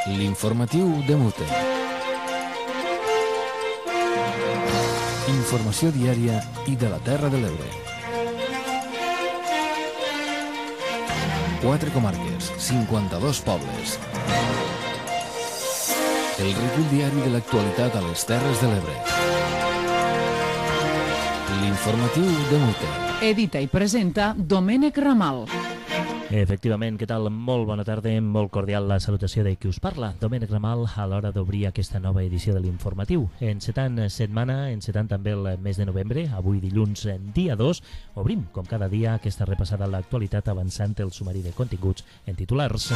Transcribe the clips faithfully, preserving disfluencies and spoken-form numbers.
L'informatiu de Mute. Informació diària i de la Terra de l'Ebre. Quatre comarques, cinquanta-dos pobles. El recull diari de l'actualitat a les Terres de l'Ebre. L'informatiu de Mute. Edita i presenta Domènec Ramal. Efectivament, què tal? Molt bona tarda, molt cordial la salutació de qui us parla. Domènec Ramal, a l'hora d'obrir aquesta nova edició de l'Informatiu. Encetant setmana, encetant també el mes de novembre, avui dilluns, dia dos, obrim, com cada dia, aquesta repassada a l'actualitat avançant el sumari de continguts en titulars.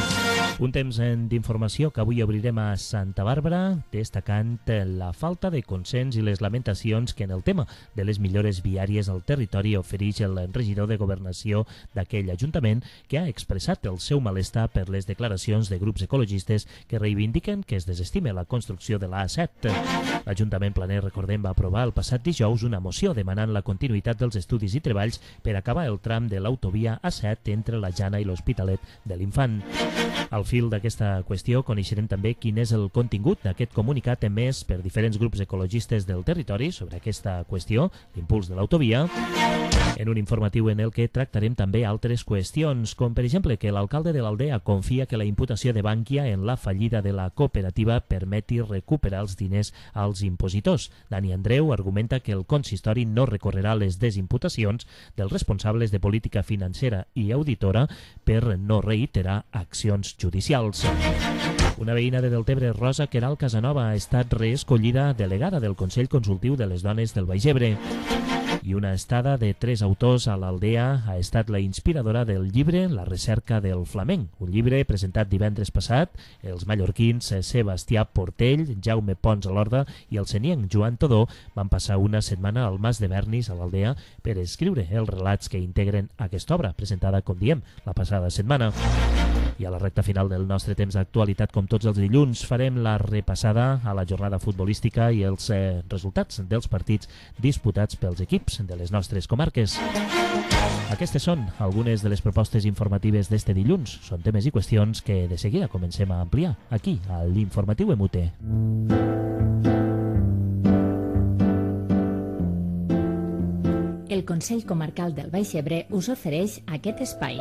Un temps d'informació que avui obrirem a Santa Bàrbara, destacant la falta de consens i les lamentacions que en el tema de les millores viàries al territori ofereix el regidor de Governació d'aquell ajuntament, que ha expressat el seu malestar per les declaracions de grups ecologistes que reivindiquen que es desestime la construcció de l'A set. L'Ajuntament Planer, recordem, va aprovar el passat dijous una moció demanant la continuïtat dels estudis i treballs per acabar el tram de l'autovia A set entre la Jana i l'Hospitalet de l'Infant. Al fil d'aquesta qüestió coneixerem també quin és el contingut d'aquest comunicat emès per diferents grups ecologistes del territori sobre aquesta qüestió, l'impuls de l'autovia, en un informatiu en el que tractarem també altres qüestions, com per exemple que l'alcalde de l'Aldea confia que la imputació de Bankia en la fallida de la cooperativa permeti recuperar els diners als impositors. Dani Andreu argumenta que el consistori no recorrerà les desimputacions dels responsables de política financera i auditora per no reiterar accions judicials. Una veïna de Deltebre, Rosa Queralt Casanova, ha estat reescollida delegada del Consell Consultiu de les Dones del Baix Ebre. I una estada de tres autors a l'Aldea ha estat la inspiradora del llibre La recerca del flamenc, un llibre presentat divendres passat. Els mallorquins Sebastià Portell, Jaume Pons a l'Horda i el senienc Joan Todó van passar una setmana al Mas de Bernis, a l'Aldea, per escriure els relats que integren aquesta obra, presentada, com diem, la passada setmana. I a la recta final del nostre temps d'actualitat, com tots els dilluns, farem la repassada a la jornada futbolística i els eh, resultats dels partits disputats pels equips de les nostres comarques. Aquestes són algunes de les propostes informatives d'este dilluns. Són temes i qüestions que de seguida comencem a ampliar aquí, a l'Informatiu M U T. El Consell Comarcal del Baix Ebre us ofereix aquest espai.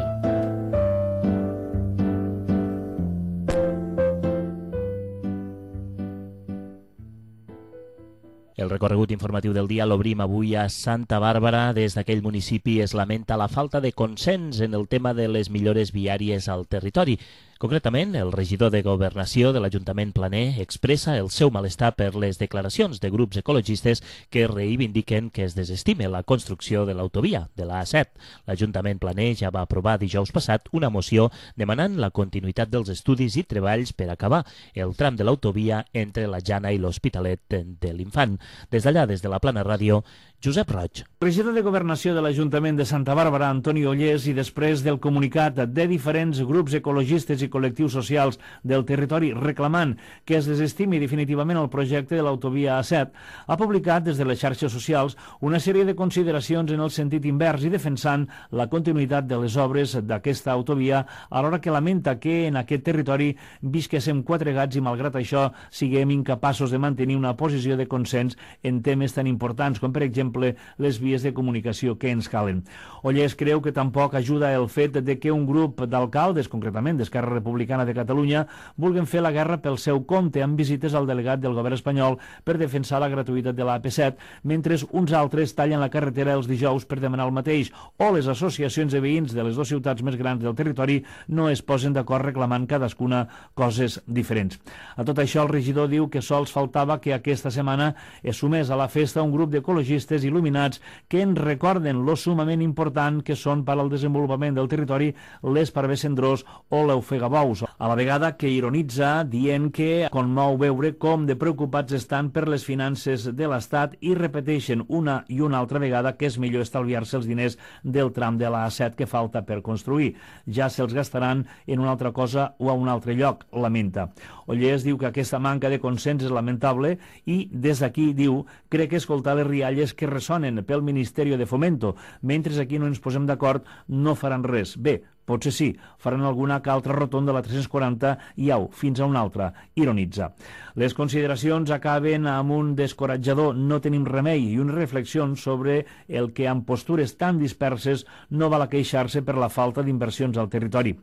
El recorregut informatiu del dia l'obrim avui a Santa Bàrbara. Des d'aquell municipi es lamenta la falta de consens en el tema de les millores viàries al territori. Concretament, el regidor de Governació de l'Ajuntament Planer expressa el seu malestar per les declaracions de grups ecologistes que reivindiquen que es desestime la construcció de l'autovia de l'A set. L'Ajuntament Planer ja va aprovar dijous passat una moció demanant la continuïtat dels estudis i treballs per acabar el tram de l'autovia entre la Jana i l'Hospitalet de l'Infant. Des d'allà, des de la Plana Ràdio, Josep Roig. Regidor de Governació de l'Ajuntament de Santa Bàrbara, Antoni Ollés, i després del comunicat de diferents grups ecologistes i col·lectius socials del territori reclamant que es desestimi definitivament el projecte de l'autovia A set, ha publicat des de les xarxes socials una sèrie de consideracions en el sentit invers i defensant la continuïtat de les obres d'aquesta autovia, alhora que lamenta que en aquest territori visquéssim quatre gats i malgrat això siguem incapaços de mantenir una posició de consens en temes tan importants com, per exemple, les vies de comunicació que ens calen. Ollés creu que tampoc ajuda el fet de que un grup d'alcaldes, concretament d'Esquerra Republicana de Catalunya, vulguin fer la guerra pel seu compte amb visites al delegat del govern espanyol per defensar la gratuïtat de l'A P set, mentre uns altres tallen la carretera els dijous per demanar el mateix, o les associacions de veïns de les dues ciutats més grans del territori no es posen d'acord reclamant cadascuna coses diferents. A tot això, el regidor diu que sols faltava que aquesta setmana es sumés a la festa un grup d'ecologistes il·luminats que ens recorden lo sumament important que són per al desenvolupament del territori l'Esparver Cendrós o l'Ofegabous, a la vegada que ironitza dient que conmou veure com de preocupats estan per les finances de l'Estat i repeteixen una i una altra vegada que és millor estalviar-se els diners del tram de l'A set que falta per construir. Ja se'ls gastaran en una altra cosa o a un altre lloc, lamenta. Ollés diu que aquesta manca de consens és lamentable i des d'aquí, diu, crec que escoltar les rialles que ressonen pel Ministeri de Fomento, mentre aquí no ens posem d'acord no faran res. Bé, Potser sí, faran alguna que altra rotonda de la tres-cents quaranta i au, fins a una altra, ironitza. Les consideracions acaben amb un descoratjador no tenim remei i unes reflexions sobre el que amb postures tan disperses no val a queixar-se per la falta d'inversions al territori.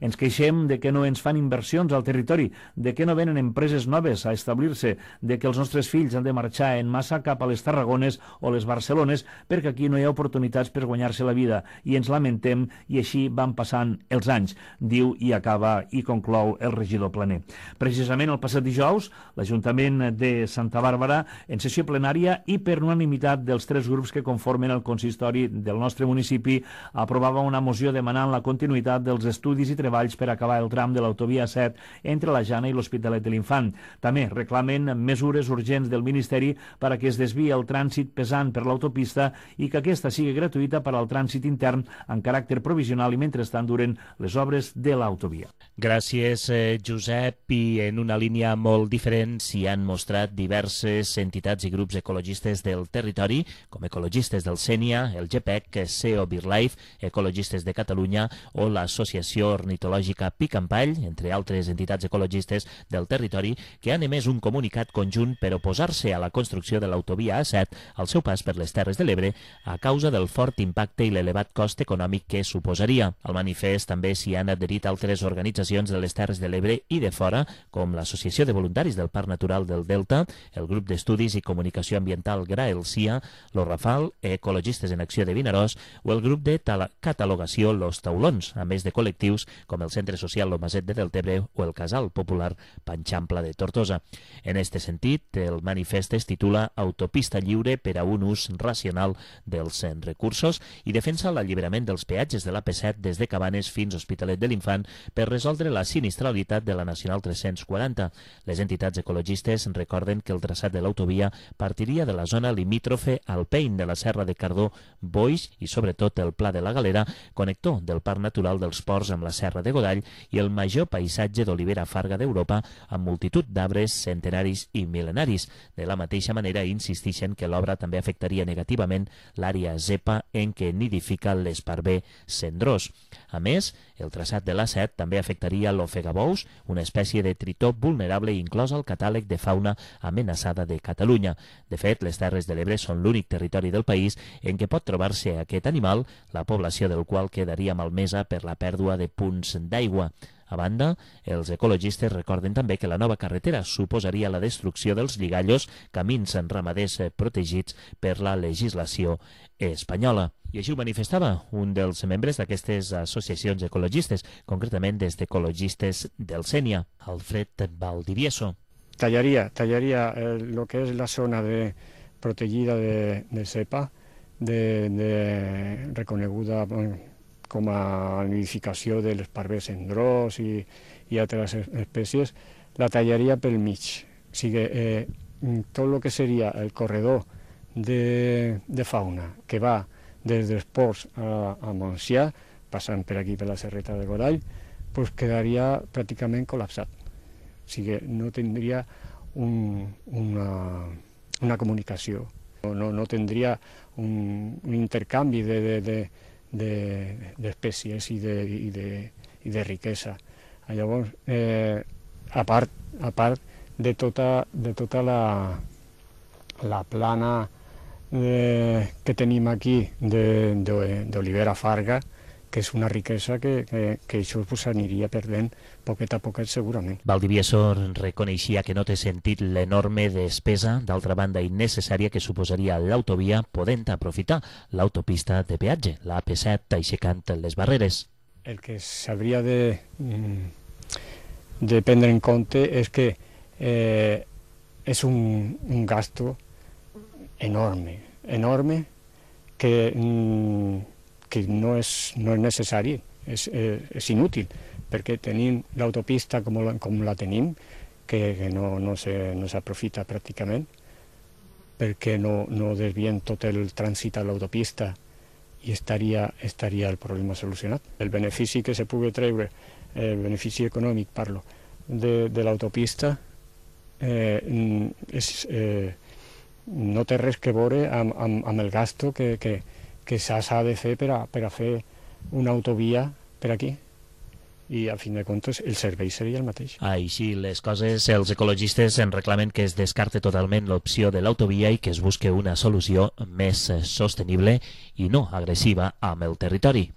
Ens queixem de que no ens fan inversions al territori, de que no venen empreses noves a establir-se, de que els nostres fills han de marxar en massa cap a les Tarragones o les Barcelones perquè aquí no hi ha oportunitats per guanyar-se la vida i ens lamentem i així van passant els anys, diu i acaba i conclou el regidor Planer. Precisament el passat dijous, l'Ajuntament de Santa Bàrbara, en sessió plenària i per unanimitat dels tres grups que conformen el consistori del nostre municipi, aprovava una moció demanant la continuïtat dels estudis i treballs per acabar el tram de l'autovia set entre la Jana i l'Hospitalet de l'Infant. També reclamen mesures urgents del Ministeri per a que es desviï el trànsit pesant per l'autopista i que aquesta sigui gratuïta per al trànsit intern en caràcter provisional i mentrestant duren les obres de l'autovia. Gràcies, eh, Josep. I en una línia molt diferent s'hi han mostrat diverses entitats i grups ecologistes del territori, com ecologistes del Sénia, el G P E C, C E O BirdLife, Ecologistes de Catalunya o l'Associació Ornitològica Picampall, entre altres entitats ecologistes del territori, que han emès un comunicat conjunt per oposar-se a la construcció de l'autovia A set al seu pas per les Terres de l'Ebre a causa del fort impacte i l'elevat cost econòmic que suposaria. Al manifest també s'hi han adherit altres organitzacions de les Terres de l'Ebre i de fora, com l'Associació de Voluntaris del Parc Natural del Delta, el Grup d'Estudis i Comunicació Ambiental Graelcia, l'Orrafal, Ecologistes en Acció de Vinaròs o el grup de catalogació Los Taulons, a més de col·lectius com el Centre Social Lo Maset de Deltebre o el Casal Popular Panxampla de Tortosa. En este sentit, el manifest es titula Autopista lliure per a un ús racional dels recursos i defensa l'alliberament dels peatges de l'A P set des de Cabanes fins a Hospitalet de l'Infant per resoldre la sinistralitat de la Nacional tres-cents quaranta. Les entitats ecologistes recorden que el traçat de l'autovia partiria de la zona limítrofe al Pein de la Serra de Cardó, Boix i sobretot el Pla de la Galera, connector del Parc Natural dels Ports amb la Serra de Godall i el major paisatge d'olivera farga d'Europa amb multitud d'arbres centenaris i mil·lenaris. De la mateixa manera insistixen que l'obra també afectaria negativament l'àrea zepa en què nidifica l'esparver cendrós. A més, el traçat de l'A set també afectaria l'ofegabous, una espècie de tritó vulnerable inclòs al catàleg de fauna amenaçada de Catalunya. De fet, les Terres de l'Ebre són l'únic territori del país en què pot trobar-se aquest animal, la població del qual quedaria malmesa per la pèrdua de punts d'aigua. A banda, els ecologistes recorden també que la nova carretera suposaria la destrucció dels lligallos, camins en ramaders protegits per la legislació espanyola. I així ho manifestava un dels membres d'aquestes associacions ecologistes, concretament des d'Ecologistes del Sénia, Alfred Valdivieso. Tallaría, tallaría eh, lo que es la zona de, protegida de, de cepa, de, de reconeguda bueno, com a nidificació de l'esparver cendrós i, i altres espècies, la tallaria pel mig. O sigui, eh, tot el que seria el corredor de, de fauna que va des dels ports a, a Montsià, passant per aquí per la Serreta de Godall, pues quedaria pràcticament col·lapsat. O sigui, no tindria un, una, una comunicació, no, no tindria un, un intercanvi de, de, de, de, d'espècies i de, i, de, i de riquesa. Llavors, eh, a part, a part de tota, de tota la, la plana eh, que tenim aquí d'olivera farga, que és una riquesa que, que, que això pues, aniria perdent poquet a poquet segurament. Valdivieso reconeixia que no té sentit l'enorme despesa, d'altra banda innecessària, que suposaria l'autovia, podent aprofitar l'autopista de peatge, la A P set, aixecant les barreres. El que s'hauria de, de prendre en compte és que eh, és un, un gasto enorme, enorme, que... Mm, que no és, no és necessari, és, eh, és inútil, perquè tenim l'autopista com, la, com la tenim, que, que no, no s'aprofita pràcticament, perquè no, no desvien tot el trànsit a l'autopista i estaria, estaria el problema solucionat. El benefici que se pugui treure, el benefici econòmic, parlo, de, de l'autopista, eh, és, eh, no té res que veure amb, amb, amb el gasto que, que que s'ha de fer per a, per a fer una autovia per aquí. I a fin de comptes el servei seria el mateix. Així les coses, els ecologistes en reclamen que es descarte totalment l'opció de l'autovia i que es busque una solució més sostenible i no agressiva amb el territori.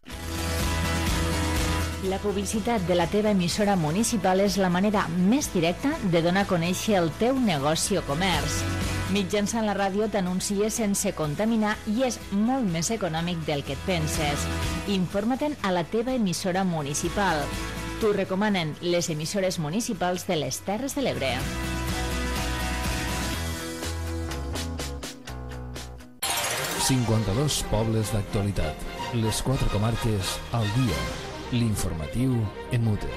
La publicitat de la teva emissora municipal és la manera més directa de donar a conèixer el teu negoci o comerç. Mitjançant la ràdio t'anuncies sense contaminar i és molt més econòmic del que et penses. Informa-te'n a la teva emissora municipal. T'ho recomanen les emissores municipals de les Terres de l'Ebre. cinquanta-dos pobles d'actualitat. Les quatre comarques al dia. L'informatiu en mute.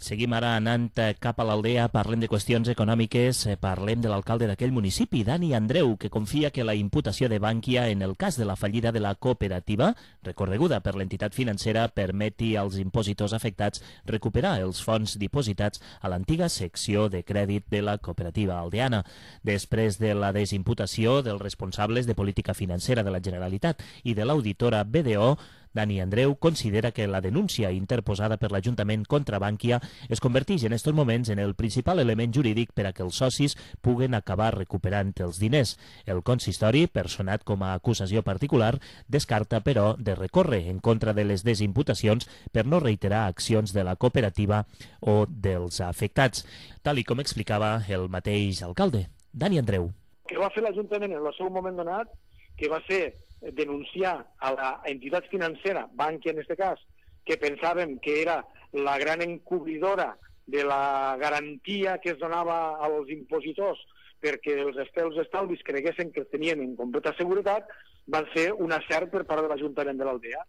Seguim ara anant cap a l'Aldea, parlem de qüestions econòmiques, parlem de l'alcalde d'aquell municipi, Dani Andreu, que confia que la imputació de Bankia en el cas de la fallida de la cooperativa, recorreguda per l'entitat financera, permeti als impositors afectats recuperar els fons dipositats a l'antiga secció de crèdit de la cooperativa aldeana. Després de la desimputació dels responsables de política financera de la Generalitat i de l'auditora B D O, Dani Andreu considera que la denúncia interposada per l'Ajuntament contra Bankia es converteix en estos moments en el principal element jurídic per a que els socis puguen acabar recuperant els diners. El consistori, personat com a acusació particular, descarta, però, de recórrer en contra de les desimputacions per no reiterar accions de la cooperativa o dels afectats, tal i com explicava el mateix alcalde, Dani Andreu. Que va fer l'Ajuntament en el seu moment donat, que va ser denunciar a la entitat financera, Bankia en aquest cas, que pensàvem que era la gran encobridora de la garantia que es donava als impositors perquè els estels estalvis creguessin que tenien en completa seguretat, van ser un acert per part de l'Ajuntament de l'Aldea.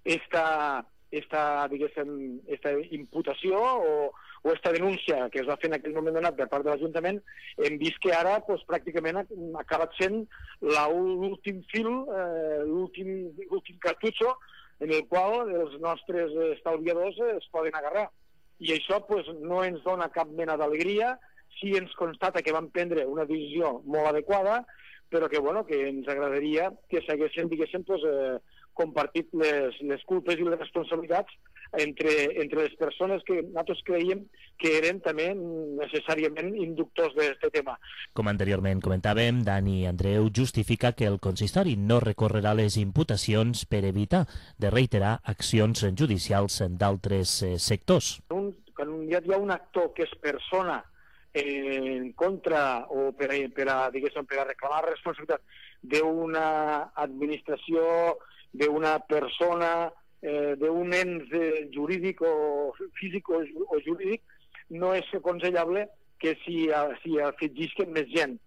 Esta, esta, diguéssim, esta imputació o, o esta denúncia que es va fer en aquell moment donat per part de l'Ajuntament, hem vist que ara pues, pràcticament ha acabat sent l'últim fil, eh, l'últim cartutxo en el qual els nostres estalviadors es poden agarrar. I això pues, no ens dona cap mena d'alegria, sí ens constata que van prendre una decisió molt adequada, però que, bueno, que ens agradaria que s'haguessin, diguéssim, pues, eh, compartit les, les culpes i les responsabilitats entre, entre les persones que nosaltres creiem que eren també necessàriament inductors d'aquest tema. Com anteriorment comentàvem, Dani Andreu justifica que el consistori no recorrerà les imputacions per evitar de reiterar accions judicials d'altres eh, sectors. Un, quan hi ha un actor que és persona en contra o per a, per a, diguéssim, per a reclamar responsabilitat d'una administració, d'una persona, eh, d'un ens eh, jurídic o físic o, o jurídic, no és aconsellable que s'hi si afegisquen més gent,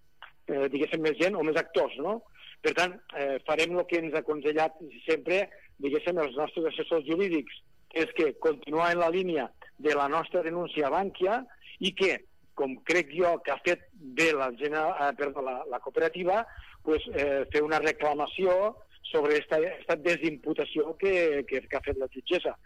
eh, diguéssim, més gent o més actors, no? Per tant, eh, farem el que ens ha aconsellat sempre, diguéssim, els nostres assessors jurídics, és que continuar en la línia de la nostra denúncia a Bankia i que, com crec jo que ha fet bé la, eh, perdó, la, la cooperativa, pues, eh, fer una reclamació sobre aquesta desimputació que, que, que ha fet la jutgessa.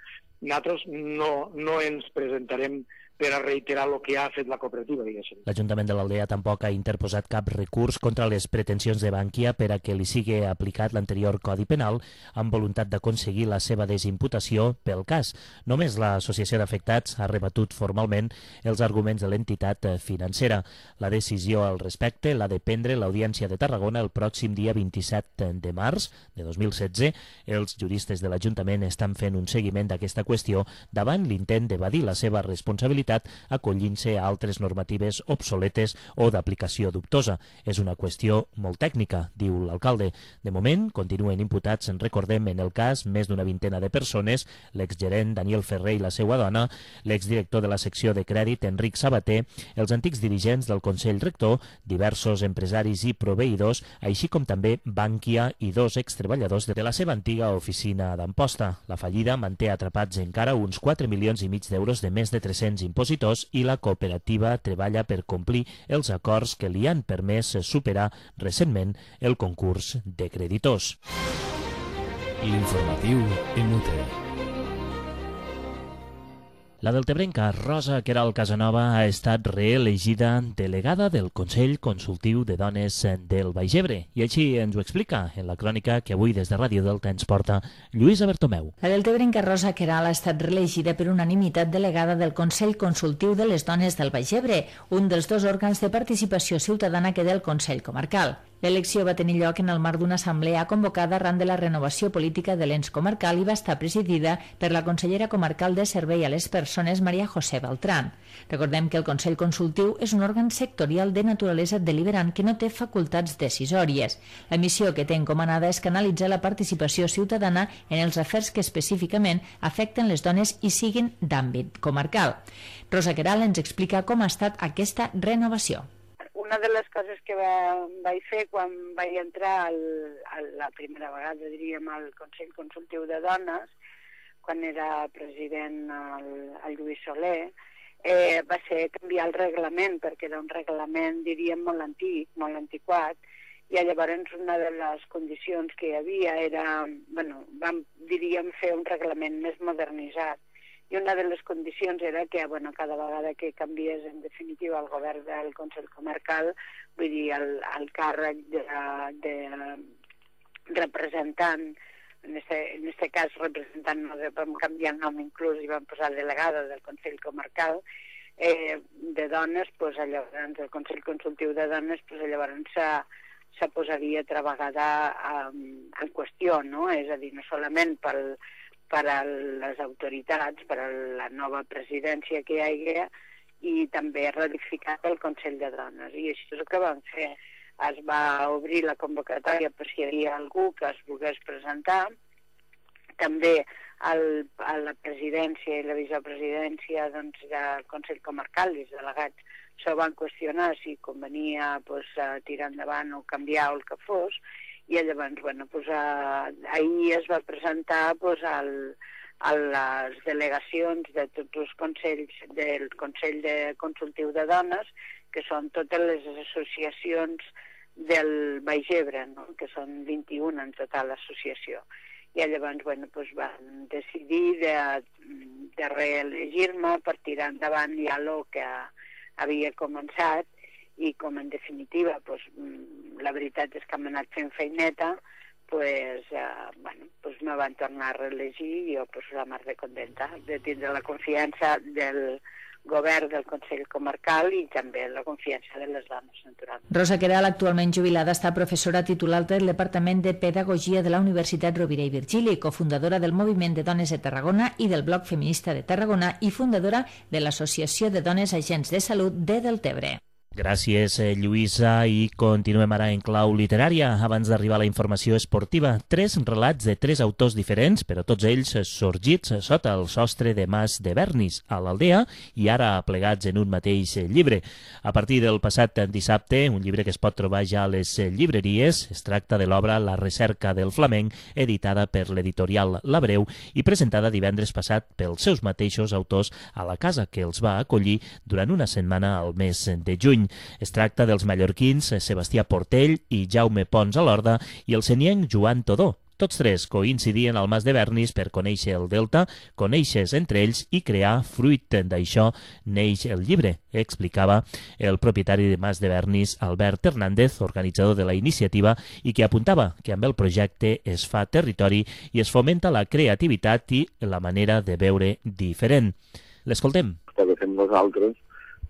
Nosaltres no, no ens presentarem per a reiterar el que ha fet la cooperativa, diguéssim. L'Ajuntament de l'Aldea tampoc ha interposat cap recurs contra les pretensions de Bankia per a que li sigui aplicat l'anterior Codi Penal amb voluntat d'aconseguir la seva desimputació pel cas. Només l'Associació d'Afectats ha rebatut formalment els arguments de l'entitat financera. La decisió al respecte l'ha de prendre l'Audiència de Tarragona el pròxim dia vint-i-set de març de dos mil setze. Els juristes de l'Ajuntament estan fent un seguiment d'aquesta qüestió davant l'intent d'evadir la seva responsabilitat acollint-se a altres normatives obsoletes o d'aplicació dubtosa. És una qüestió molt tècnica, diu l'alcalde. De moment, continuen imputats, en recordem, en el cas, més d'una vintena de persones, l'exgerent Daniel Ferrer i la seva dona, l'exdirector de la secció de crèdit, Enric Sabater, els antics dirigents del Consell Rector, diversos empresaris i proveïdors, així com també Bankia i dos extreballadors de la seva antiga oficina d'Amposta. La fallida manté atrapats encara uns quatre milions i mig d'euros de més de tres-cents impositors i la cooperativa treballa per complir els acords que li han permès superar recentment el concurs de creditors. L'informatiu en mute. La deltebrenca Rosa Queralt Casanova ha estat reelegida delegada del Consell Consultiu de Dones del Baix Ebre i així ens ho explica en la crònica que avui des de Ràdio Delta ens porta Lluïsa Bertomeu. La deltebrenca Rosa Queralt ha estat reelegida per unanimitat delegada del Consell Consultiu de les Dones del Baix Ebre, un dels dos òrgans de participació ciutadana que té el Consell Comarcal. L'elecció va tenir lloc en el marc d'una assemblea convocada arran de la renovació política de l'ens comarcal i va estar presidida per la consellera comarcal de Servei a les Persones, Maria José Beltrán. Recordem que el Consell Consultiu és un òrgan sectorial de naturalesa deliberant que no té facultats decisòries. La missió que té encomanada és canalitzar la participació ciutadana en els afers que específicament afecten les dones i siguin d'àmbit comarcal. Rosa Queralt ens explica com ha estat aquesta renovació. Una de les coses que va, vaig fer quan vaig entrar al, a la primera vegada, diríem, al Consell Consultiu de Dones, quan era president el, el Lluís Soler, eh, va ser canviar el reglament, perquè era un reglament, diríem, molt antic, molt antiquat, i llavors una de les condicions que hi havia era, bueno, vam, diríem, fer un reglament més modernitzat. I una de les condicions era que, bueno, cada vegada que canviés en definitiva el govern del Consell Comarcal, vull dir, el, el càrrec de, de representant, en este, en este cas representant, no, vam canviar el nom inclús i vam posar delegada del Consell Comarcal, eh, de dones, pues, llavors el Consell Consultiu de Dones, pues, llavors se, se posaria altra vegada um, en qüestió, no? És a dir, no solament pel per a les autoritats, per a la nova presidència que hi hagi i també ratificat el Consell de Dones. I això és el que vam fer. Es va obrir la convocatòria per si hi havia algú que es volgués presentar. També el, a la presidència i la vicepresidència doncs, del Consell Comarcal, els delegats, s'ho van qüestionar si convenia pues, tirar endavant o canviar o el que fos. I llavors, bueno, pues, uh, ahir es va presentar pues, al, a les delegacions de tots els consells del Consell de Consultiu de Dones, que són totes les associacions del Baix Ebre, no? Que són vint-i-una en total l'associació. I llavors, bueno, pues, van decidir de, de reelegir-me per tirar endavant ja el que havia començat. I com en definitiva pues, la veritat és que m'he anat fent feineta, pues, eh, bueno, pues me van tornar a reelegir i jo pues, la mar de contenta de tindre la confiança del govern del Consell Comarcal i també la confiança de les dones, naturalment. Rosa Queralt, actualment jubilada, està professora titular del Departament de Pedagogia de la Universitat Rovira i Virgili, cofundadora del Moviment de Dones de Tarragona i del Bloc Feminista de Tarragona i fundadora de l'Associació de Dones Agents de Salut de Deltebre. Gràcies, Lluïsa, i continuem ara en clau literària. Abans d'arribar a la informació esportiva, tres relats de tres autors diferents, però tots ells sorgits sota el sostre de Mas de Bernis, a l'Aldea, i ara plegats en un mateix llibre. A partir del passat dissabte, un llibre que es pot trobar ja a les llibreries, es tracta de l'obra La recerca del flamenc, editada per l'editorial L'Abreu i presentada divendres passat pels seus mateixos autors a la casa que els va acollir durant una setmana al mes de juny. Es tracta dels mallorquins Sebastià Portell i Jaume Pons a l'Horda i el senienc Joan Todó. Tots tres coincidien al Mas de Bernis per conèixer el Delta, conèixer-se entre ells i crear, fruit d'això, neix el llibre, explicava el propietari de Mas de Bernis, Albert Hernández, organitzador de la iniciativa, i que apuntava que amb el projecte es fa territori i es fomenta la creativitat i la manera de veure diferent. L'escoltem. El que fem nosaltres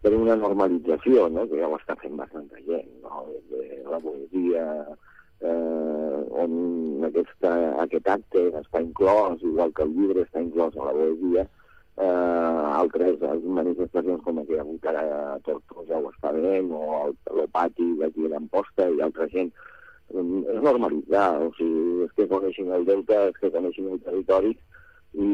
per una normalització, no? Que ja ho està fent bastanta gent, no? De la poesia, eh, on aquesta, aquest acte està inclòs, igual que el llibre està inclòs a la poesia, eh, altres manifestacions com que hi ha hagut ara a Tortosa o Espadent, o el, el pati d'aquí a l'Amposta i altra gent, és normalitzar, o sigui, és que coneixin el Delta, és que coneixin el territori i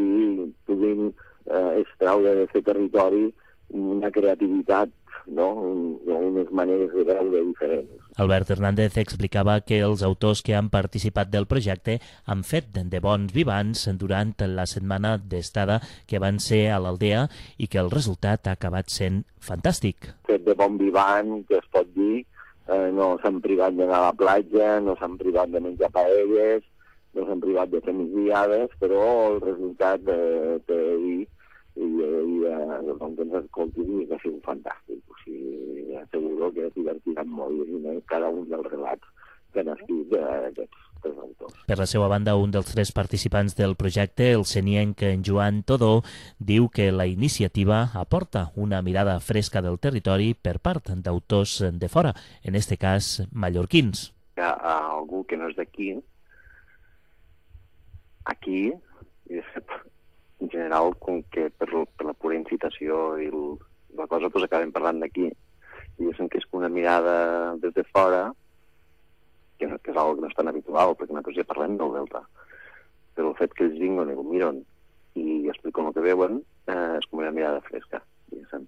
puguin eh, extraure d'aquest territori una creativitat, no? Un, unes maneres de veure diferents. Albert Hernández explicava que els autors que han participat del projecte han fet de bons vivants durant la setmana d'estada que van ser a l'Aldea i que el resultat ha acabat sent fantàstic. Fet de bon vivant, que es pot dir, eh, no s'han privat d'anar a la platja, no s'han privat de menjar paelles, no s'han privat de fer migdiades, però el resultat, eh, té dir, i, i eh, doncs ens escoltin i que sigui fantàstic. O sigui, asseguro que es divertiran molt llegint cada un dels relats que han escrit d'aquests tres autors. Per la seva banda, un dels tres participants del projecte, el senienc Joan Todó, diu que la iniciativa aporta una mirada fresca del territori per part d'autors de fora, en este cas mallorquins. Hi ha algú que no és d'aquí, aquí, i de fet, en general, com que per, per la pura incitació i el, la cosa, doncs acabem parlant d'aquí, i diguéssim que és una mirada des de fora, que, no, que és algo que no és tan habitual, perquè nosaltres ja parlem del Delta. Però el fet que ells vinguin i ho miren i expliquen el que veuen, eh, és com una mirada fresca, diguéssim.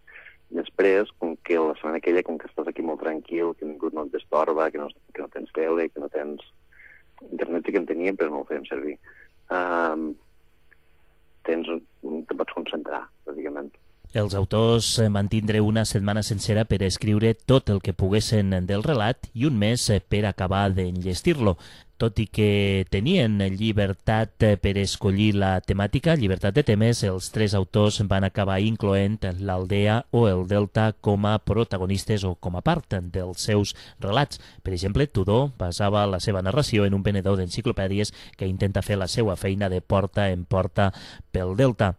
I després, com que la setmana aquella, com que estàs aquí molt tranquil, que ningú no et destorba, que no, que no tens tele, que no tens... Internet sí que en teníem, però no el fèiem servir. Um, tens, te pots concentrar, bàsicament. Els autors van tindre una setmana sencera per escriure tot el que poguessin del relat i un mes per acabar d'enllestir-lo. Tot i que tenien llibertat per escollir la temàtica, llibertat de temes, els tres autors van acabar incloent l'Aldea o el Delta com a protagonistes o com a part dels seus relats. Per exemple, Tudor basava la seva narració en un venedor d'enciclopèdies que intenta fer la seva feina de porta en porta pel Delta.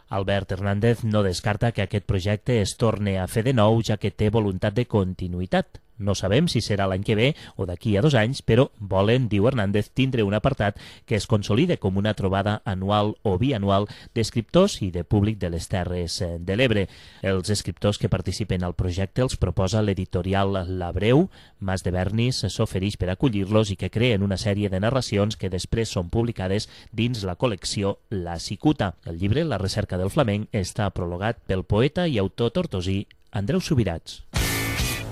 Albert Hernández no descarta que aquest projecte es torni a fer de nou, ja que té voluntat de continuïtat. No sabem si serà l'any que ve o d'aquí a dos anys, però volen, diu Hernández, tindre un apartat que es consolide com una trobada anual o bianual d'escriptors i de públic de les Terres de l'Ebre. Els escriptors que participen al projecte els proposa l'editorial L'Abreu. Mas de Bernis s'ofereix per acollir-los i que creen una sèrie de narracions que després són publicades dins la col·lecció La Cicuta. El llibre, La recerca del flamenc, està prologat pel poeta i autor tortosí Andreu Subirats.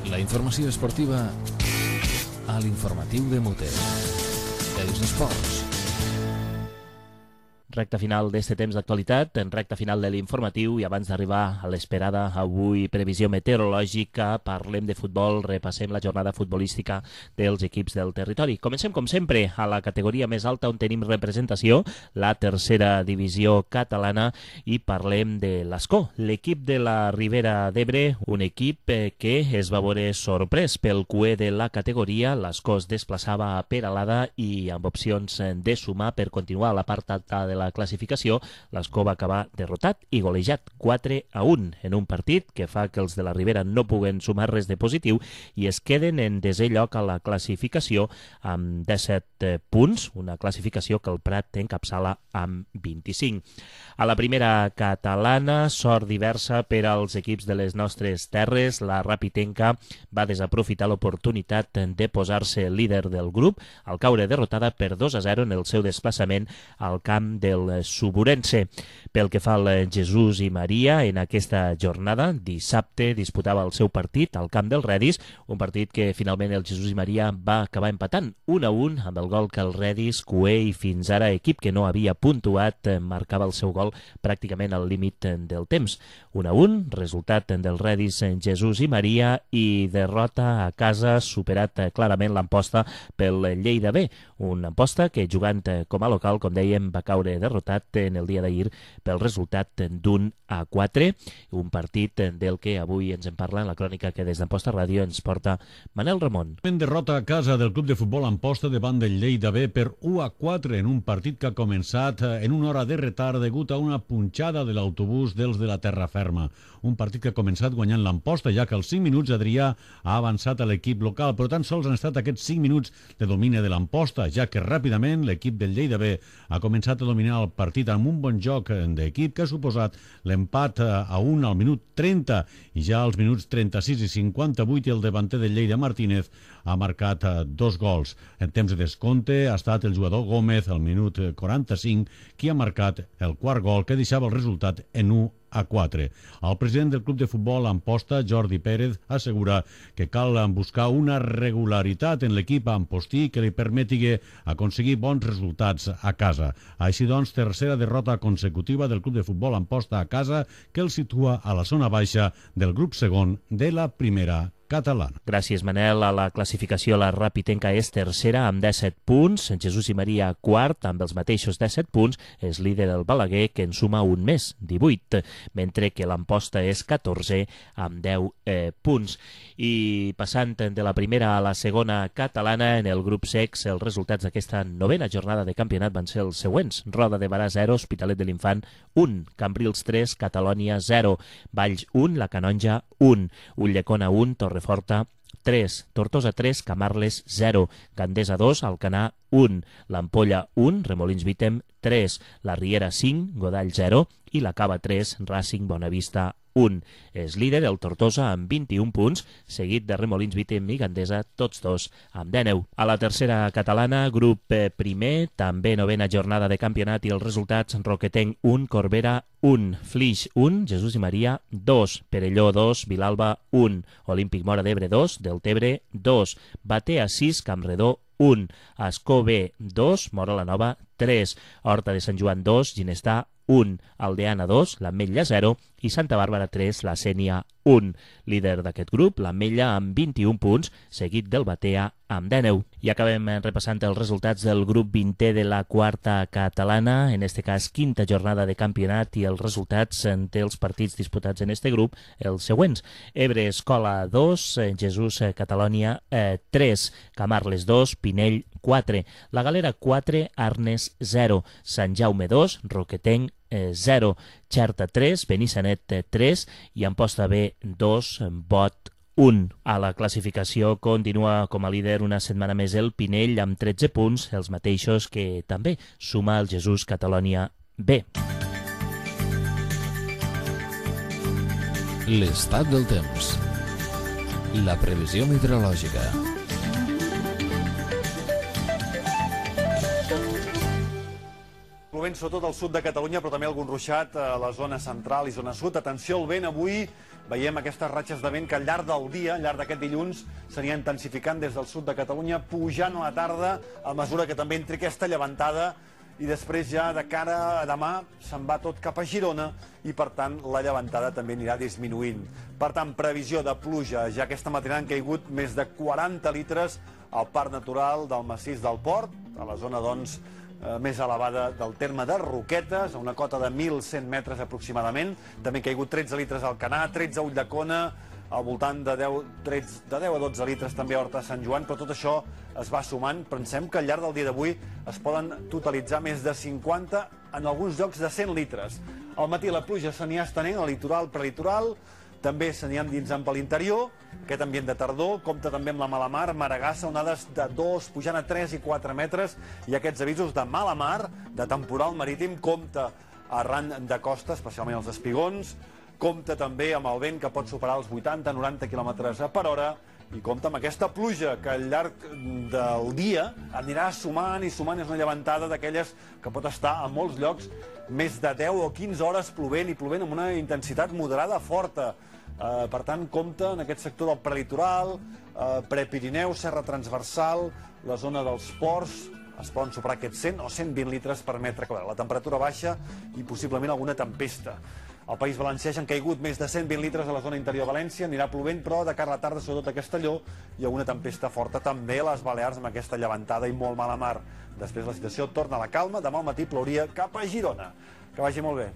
La informació esportiva a l'informatiu de Muter. Els esports. Recta final d'este temps d'actualitat, en recta final de l'informatiu, i abans d'arribar a l'esperada avui previsió meteorològica, parlem de futbol, repassem la jornada futbolística dels equips del territori. Comencem, com sempre, a la categoria més alta on tenim representació, la tercera divisió catalana, i parlem de l'Escó, l'equip de la Ribera d'Ebre, un equip que es va veure sorprès pel cué de la categoria. L'Escó es desplaçava a Peralada i amb opcions de sumar per continuar a la part alta de la classificació. L'Escó va acabar derrotat i golejat quatre a un en un partit que fa que els de la Ribera no puguen sumar res de positiu i es queden en desè lloc a la classificació amb disset punts, una classificació que el Prat encapçala amb vint-i-cinc. A la primera catalana, sort diversa per als equips de les nostres terres. La Rapitenca va desaprofitar l'oportunitat de posar-se líder del grup al caure derrotada per dos a zero en el seu desplaçament al camp del Suburense. Pel que fa al Jesús i Maria, en aquesta jornada, dissabte, disputava el seu partit al camp del Redis, un partit que finalment el Jesús i Maria va acabar empatant un a un amb el gol que el Redis, cué i fins ara equip que no havia puntuat, marcava el seu gol pràcticament al límit del temps. un a un, resultat del Redis Jesús i Maria, i derrota a casa, superat clarament l'Amposta pel Lleida B, un Amposta que jugant com a local, com dèiem, va caure derrotat en el dia d'ahir pel resultat d'un a quatre, un partit del que avui ens en parla en la crònica que des d'Amposta Ràdio ens porta Manel Ramon. En derrota a casa del club de futbol Amposta davant del Lleida B per u a quatre en un partit que ha començat en una hora de retard degut a una punxada de l'autobús dels de la Terra Ferma. Un partit que ha començat guanyant l'Amposta, ja que als cinc minuts Adrià ha avançat a l'equip local, però tan sols han estat aquests cinc minuts de domini de l'Amposta, ja que ràpidament l'equip del Lleida B ha començat a dominar el partit amb un bon joc d'equip que ha suposat l'empat a un al minut trenta, i ja als minuts trenta-sis i cinquanta-vuit el davanter del Lleida, Martínez, ha marcat dos gols. En temps de descompte ha estat el jugador Gómez, al minut quaranta-cinc, qui ha marcat el quart gol que deixava el resultat en u a quatre. El president del club de futbol Amposta, Jordi Pérez, assegura que cal buscar una regularitat en l'equip ampostí que li permeti aconseguir bons resultats a casa. Així doncs, tercera derrota consecutiva del club de futbol Amposta a casa, que el situa a la zona baixa del grup segon de la primera catalana. Gràcies, Manel. A la classificació la Rapitenca és tercera amb disset punts, Jesús i Maria quart amb els mateixos disset punts, és líder el Balaguer que en suma un més, divuit, mentre que l'Amposta és catorze amb deu eh, punts. I passant de la primera a la segona catalana, en el grup sex els resultats d'aquesta novena jornada de campionat van ser els següents: Roda de Barà zero, Hospitalet de l'Infant un, Cambrils tres, Catalònia zero, Valls un, La Canonja un, Ulldecona un, Torreforta tres, Tortosa tres, Camarles zero, Gandesa dos, Alcanar un, l'Ampolla un, Remolins Vítem tres, la Riera cinc, Godall zero i la Cava tres, Racing Bonavista un. És líder el Tortosa amb vint-i-un punts, seguit de Remolins Vítem i Gandesa, tots dos amb dinou. A la tercera catalana, grup primer, també novena jornada de campionat i els resultats: Roquetenc un, Corbera un, Flix un, Jesús i Maria dos, Perelló dos, Vilalba un, Olímpic Mora d'Ebre dos, Deltebre dos, Batea sis, Campredó un, Ascó B dos, Mora la Nova tres, Horta de Sant Joan dos, Ginestà un, Aldeana dos, l'Ametlla zero i Santa Bàrbara tres, la Sénia un. Líder d'aquest grup, l'Ametlla amb vint-i-un punts, seguit del Batea amb dinou. I acabem repassant els resultats del grup vintè de la quarta catalana, en este cas quinta jornada de campionat, i els resultats dels partits disputats en este grup, els següents: Ebre Escola dos, Jesús Catalònia tres, Camarles dos, Pinell quatre, La Galera quatre, Arnes zero, Sant Jaume dos, Roquetenc zero, Xerta tres, Benissanet tres i Amposta B dos, Bot un. A la classificació continua com a líder una setmana més el Pinell amb tretze punts, els mateixos que també suma el Jesús Catalònia B. L'estat del temps. La previsió meteorològica. Plovent sobretot al sud de Catalunya, però també algun ruixat a la zona central i zona sud. Atenció al vent, avui veiem aquestes ratxes de vent que al llarg del dia, al llarg d'aquest dilluns, s'anirà intensificant des del sud de Catalunya, pujant a la tarda a mesura que també entri aquesta llevantada, i després ja de cara a demà se'n va tot cap a Girona i per tant la llevantada també anirà disminuint. Per tant, previsió de pluja. Ja aquesta matinada han caigut més de quaranta litres al Parc Natural del Massís del Port, a la zona doncs més elevada del terme de Roquetes, a una cota de mil cent metres aproximadament. També han caigut tretze litres al Canà, tretze a Ulldecona, al voltant de deu, tretze, de deu a dotze litres també a Horta de Sant Joan, però tot això es va sumant. Pensem que al llarg del dia d'avui es poden totalitzar més de cinquanta, en alguns llocs de cent litres. Al matí la pluja s'anirà estenent al litoral, prelitoral, també s'anirà endinsant per l'interior. Aquest ambient de tardor compta també amb la mala mar, Maragassa, onades de dos, pujant a tres i quatre metres, i aquests avisos de mala mar, de temporal marítim, compta arran de costa, especialment els espigons, compta també amb el vent que pot superar els vuitanta a noranta quilòmetres per hora, i compta amb aquesta pluja que al llarg del dia anirà sumant i sumant. És una llevantada d'aquelles que pot estar a molts llocs més de deu o quinze hores plovent, i plovent amb una intensitat moderada forta. Uh, per tant, compta en aquest sector del prelitoral, uh, prepirineu, serra transversal, la zona dels ports, es poden superar aquests cent o cent vint litres per metre quadrat. La temperatura baixa i possiblement alguna tempesta. Al País Valencià han caigut més de cent vint litres a la zona interior de València, anirà plovent, però de cara a la tarda, sobretot a Castelló, hi ha una tempesta forta també a les Balears amb aquesta llevantada i molt mala mar. Després la situació torna a la calma, demà al matí plouria cap a Girona. Que vagi molt bé.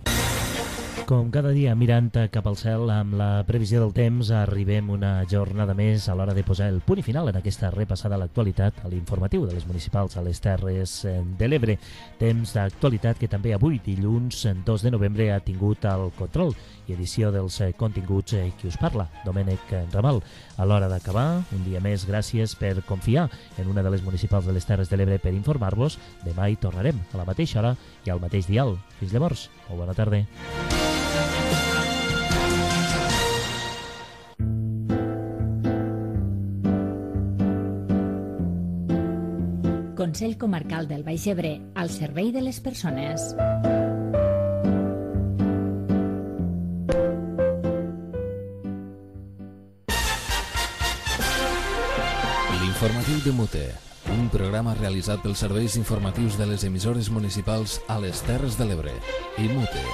Com cada dia, mirant cap al cel amb la previsió del temps, arribem una jornada més a l'hora de posar el punt i final en aquesta repassada a l'actualitat, a l'informatiu de les municipals a les Terres de l'Ebre. Temps d'actualitat que també avui, dilluns dos de novembre, ha tingut el control i edició dels continguts Qui us parla, Domènec Ramal. A l'hora d'acabar, un dia més, gràcies per confiar en una de les municipals de les Terres de l'Ebre per informar-vos. Demà hi tornarem a la mateixa hora i al mateix dial. Fins llavors, molt bona tarda. Consell Comarcal del Baix Ebre, al servei de les persones. L'informatiu de Mute, un programa realitzat pels serveis informatius de les emissores municipals a les Terres de l'Ebre i Mute.